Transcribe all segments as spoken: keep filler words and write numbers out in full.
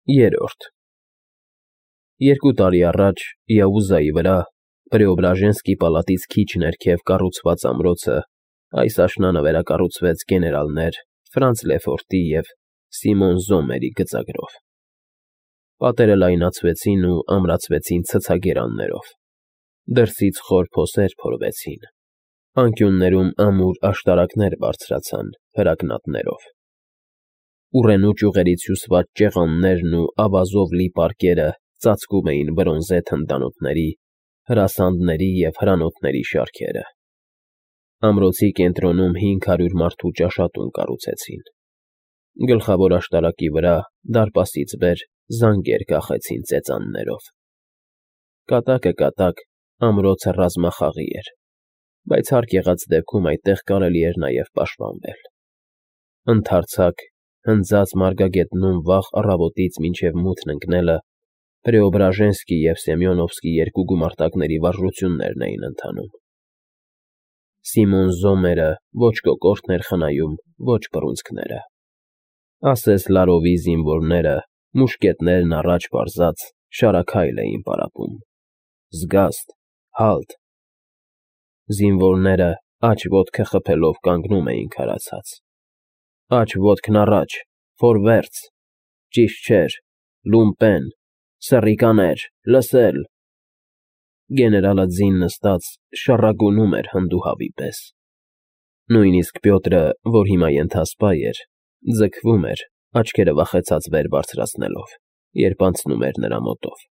Երրորդ Երկու տարի առաջ Յաուզայի վրա, Պրեոբրաժենսկի պալատից քիչ ներքև կառուցված ամրոցը այս աշնանը վերակառուցվեց գեներալներ Ֆրանց Լեֆորտի և Սիմոն Զոմերի գծագրով։ Պատերը լայնացվեցին ու ամրացվեցին ցցագերաններով, դրսից խոր փոսեր փորվեցին, անկյուններում ամուր աշտարակներ բարձրացան հրակնատներով։ Ուռենու ճյուղերից հյուսված ճեղաններն ու ավազով լի պարկերը ծածկում էին բրոնզե թնդանոթների, հրասանդների և հրանոթների շարքերը։ Ամրոցի կենտրոնում հինգ հարյուր մարդու ճաշատուն կառուցեցին։ Գլխավոր աշտարակի վրա, դարպասից վեր, զանգեր կախեցին ծեծաններով։ Կատակը֊կատակ ամրոցը ռազմախաղի էր, բայց հարկ եղած դեպքում այդտեղ կարելի էր նաև պաշտպանվել։ Ընդարձակ, հնձած մարգագետնում վաղ առավոտից մինչև մութն ընկնելը Պրեոբրաժենսկի և Սեմյոնովսկի երկու գումարտակների վարժություններն էին ընթանում։ Սիմոն Զոմերը ոչ կոկորդն էր խնայում, ոչ բռունցքները։ Ասես Լարովի զինվորները, մուշկետներն առաջ պարզած, շարաքայլ էին պարապում։ Զգաստ, հալտ։ Զինվորները աջ ոտքը խփելով կանգնում էին քարացած։ Աջ ոտքն առաջ, ֆորվերձ, ճիշտ չէր, լումպեն, սռիկաներ, լսել։ Գեներալը ձին նստած շառագոնում էր հնդուհավի պես։ Նույնիսկ Պյոտրը, որ հիմա ենթասպա էր, ձգվում էր, աչքերը վախեցած վեր բարձրացնելով, երբ անցնում էր նրա մոտով։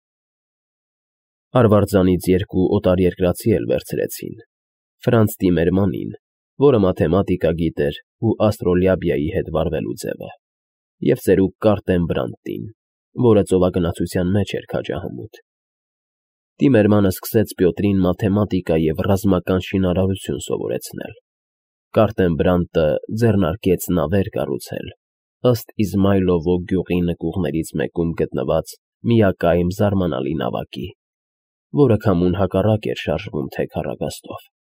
Արվարձանից երկու օտարերկրացի էլ վերցրեցին. Ֆրանց Տիմերմանին, որը մաթեմատիկա գիտեր ու աստրոլաբիայի հետ վարվելու ձև է, և ծերուկ Կարտեն Բրանտին, որը ծովագնացության մեջ էր քաջահամուտ։ Տիմերմանը սկսեց Պյոտրին մաթեմատիկա և ռազմական շինարարություն սովորեցնել։ Կարտեն Բրանտը ձեռնարկեց նավեր կառուցել, ըստ Իզմայլովո գյուղի նկուղներից մեկում գտնված միակայմ զարմանալի նավակի, որը քամուն հակառակ էր շարժվում թե քառագաստով։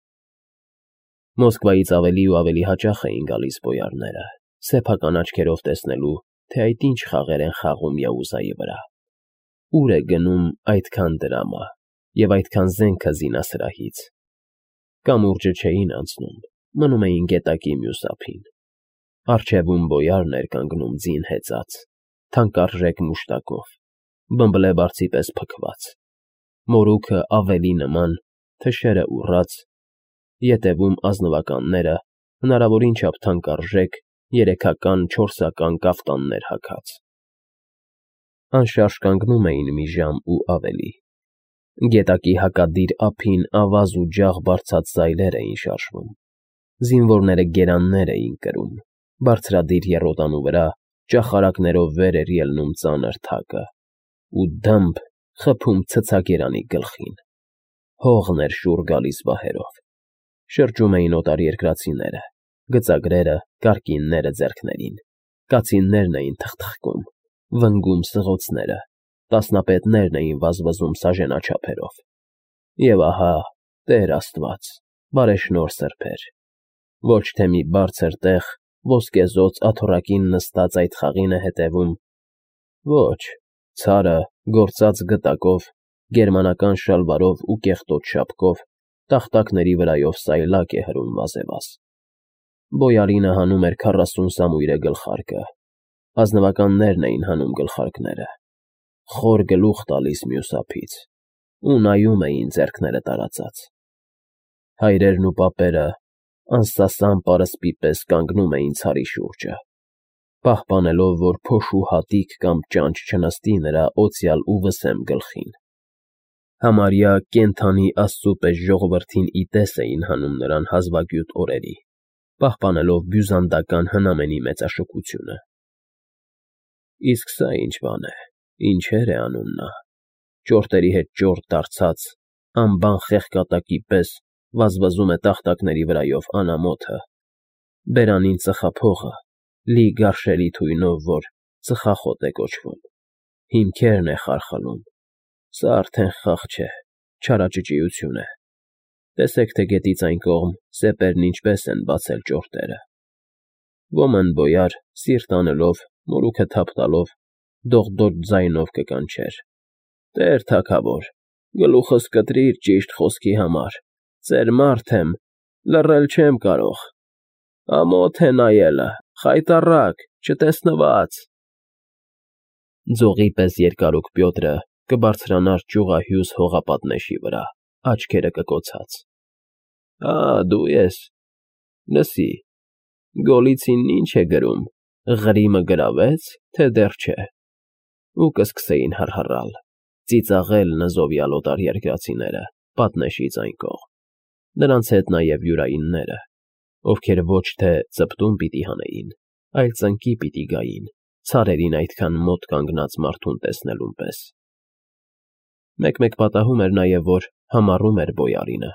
Մոսկվայից ավելի ու ավելի հաճախ էին գալիս բոյարները, սեփական աչքերով տեսնելու, թե այդ ինչ խաղեր են խաղում Յաուզայի վրա, ուր է գնում այդքան դրամը և այդքան զենքը զինասրահից։ Կամուրջը չէին անցնում, մնում էին գետակի մյուս ափին։ Առջևում բոյարն էր կանգնում ձին հեծած, թանկարժեք մուշտակով, բմբլեբարդի պես փքված, մորուքը ավելի նման, թշերը ուռած, ետևում ազնվականները հնարավորին չափ թանկարժեք, երեքական, չորսական կաֆտաններ հագած։ Անշարժ կանգնում էին մի ժամ ու ավելի։ Գետակի հակադիր ափին ավազ ու ջախ բարձած սայլեր էին շարժվում։ Զինվորները գերաններ էին կրում, բարձրադիր եռոտանու վրա ճախարակներով վեր էր ելնում ծանր թակը, ու դըմբ խփում ցցագերանի գլխին։ Հողն էր շուռ գալիս բահերով։ Շրջում էին օտարերկրացիները, գծագրերը, կարկինները ձեռքներին, կացիններն էին թխթխկում, վնգում սղոցները, տասնապետներն էին վազվզում սաժենաչափերով։ Եվ ահա, Տեր Աստված, բարեշնորհ սրբեր, ոչ թե մի բարձր տեղ, ոսկեզօծ աթոռակին նստած այդ խաղին է հետևում, ոչ, ցարը, գործած գտակով, գերմանական շալվարով ու կեղտոտ շապկով, տախտակների վրայով սայլակ է հրում վազևազ։ Բոյարինը հանում էր քառասուն սամույրե գլխարկը, ազնվականներն էին հանում գլխարկները, խոր գլուխ տալիս մյուս ափից, ու նայում էին ձեռքները տարածած։ Հայրերն ու պապերը անսասան պարսպի պես կանգնում էին ցարի շուրջը, պահպանելով, որ փոշու հատիկ կամ ճանճ չնստի նրա օծյալ ու վսեմ գլխին։ Համարյա կենդանի աստծու պես ժողովրդին ի տես էին հանում նրան հազվագյուտ օրերի, պահպանելով բյուզանդական հնամենի մեծաշքությունը։ Իսկ սա ինչ բան է, ինչեր է անում նա, ճորտերի հետ ճորտ դարձած, անբան խեղկատակի պես վազվզում է տախտակների վրայով անամոթը, բերանին ծխափողը, լի գարշելի թույնով, որ ծխախոտ է կոչվում, հիմքերն է խարխլում։ Սա արդեն խաղ չէ, չարաճճիություն է։ Տեսեք, թե գետից այն կողմ սեպերն ինչպես են բացել ճորտերը։ Ոմն բոյար, սիրտ անելով, մորուքը թափ տալով, դողդոջ ձայնով կկանչեր. «Տեր թագավոր, գլուխս կտրիր ճիշտ խոսքի համար, ծեր մարդ եմ, լռել չեմ կարող, ամոթ է նայելը, խայտառակ, չտեսնված»։ Ձողի պես երկարուկ Պյոտրը կբարձրանար ճյուղահյուս հողապատնեշի վրա, աչքերը կկոցած։ «Ա, դու ես, լսի, Գոլիցինն ինչ է գրում, Ղրիմը գրավե՞ց, թե դեռ չէ»։ Ու կսկսեին հռհռալ, ծիծաղել նզովյալ օտարերկրացիները պատնեշից այն կողմ, նրանց հետ նաև յուրայինները, ովքեր ոչ թե ծպտուն պիտի հանեին, այլ ծնկի պիտի գային, ցարերին այդքան մոտ կանգնած մարդուն տեսնելուն պես։ Մեկ֊մեկ պատահում էր նաև, որ համառում էր բոյարինը,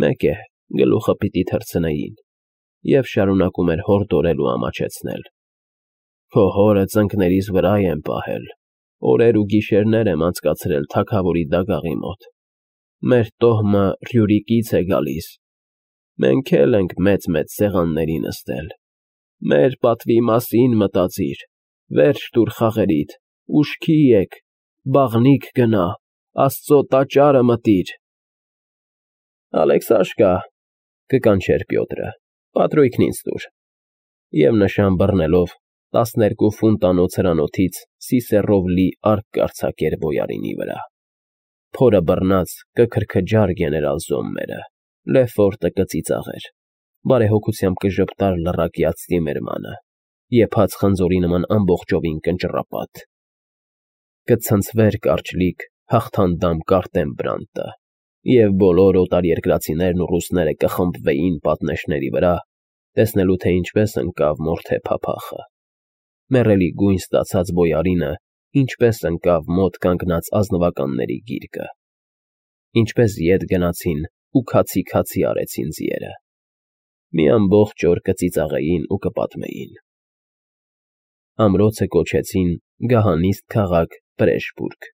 մեկ է, գլուխը պիտի թռցնեին, և շարունակում էր հորդորել ու ամաչեցնել. «Քո հորը ծնկներիս վրա եմ պահել, օրեր ու գիշերներ եմ անցկացրել թագավորի դագաղի մոտ, մեր տոհմը Ռյուրիկից է գալիս, մենք էլ ենք մեծ֊մեծ սեղանների նստել, մեր պատվի մասին մտածիր, վերջ տուր խաղերիդ, ուշքի եկ, բաղնիք գնա, Աստծո տաճարը մտիր»։ «Ալեքսաշկա», կկանչեր Պյոտրը, «պատրույգն ինձ տուր»։ Եվ նշան բռնելով տասներկու ֆունտանոց հրանոթից սիսեռով լի արկ կարձակեր բոյարինի վրա։ Փորը բռնած կքրքջար գեներալ Զոմմերը, Լեֆորտը կծիծաղեր, բարեհոգությամբ կժպտար լռակյա Ցտիմերմանը, եփած խնձորի նման ամբողջովին կնճռապատ։ Կցնցվեր կարճլիկ հաղթանդամ Կարտեմբրանտը, և բոլոր օտարերկրացիներն ու ռուսները կխմբվեին պատնեշների վրա, տեսնելու, թե ինչպես ընկավ մորթե փափախը։ Մեռելի գույն ստացած բոյարինը ինչպես ընկավ մոտ կանգնած ազնվականների գիրկը, ինչպես ետ գնացին ու քացի֊քացի արեցին ձիերը, մի ամբողջ օր կծիծաղեին ու կպատմեին։ Ամրոցը կոչեցին Գահանիստ քաղաք Պրեշբուրգ,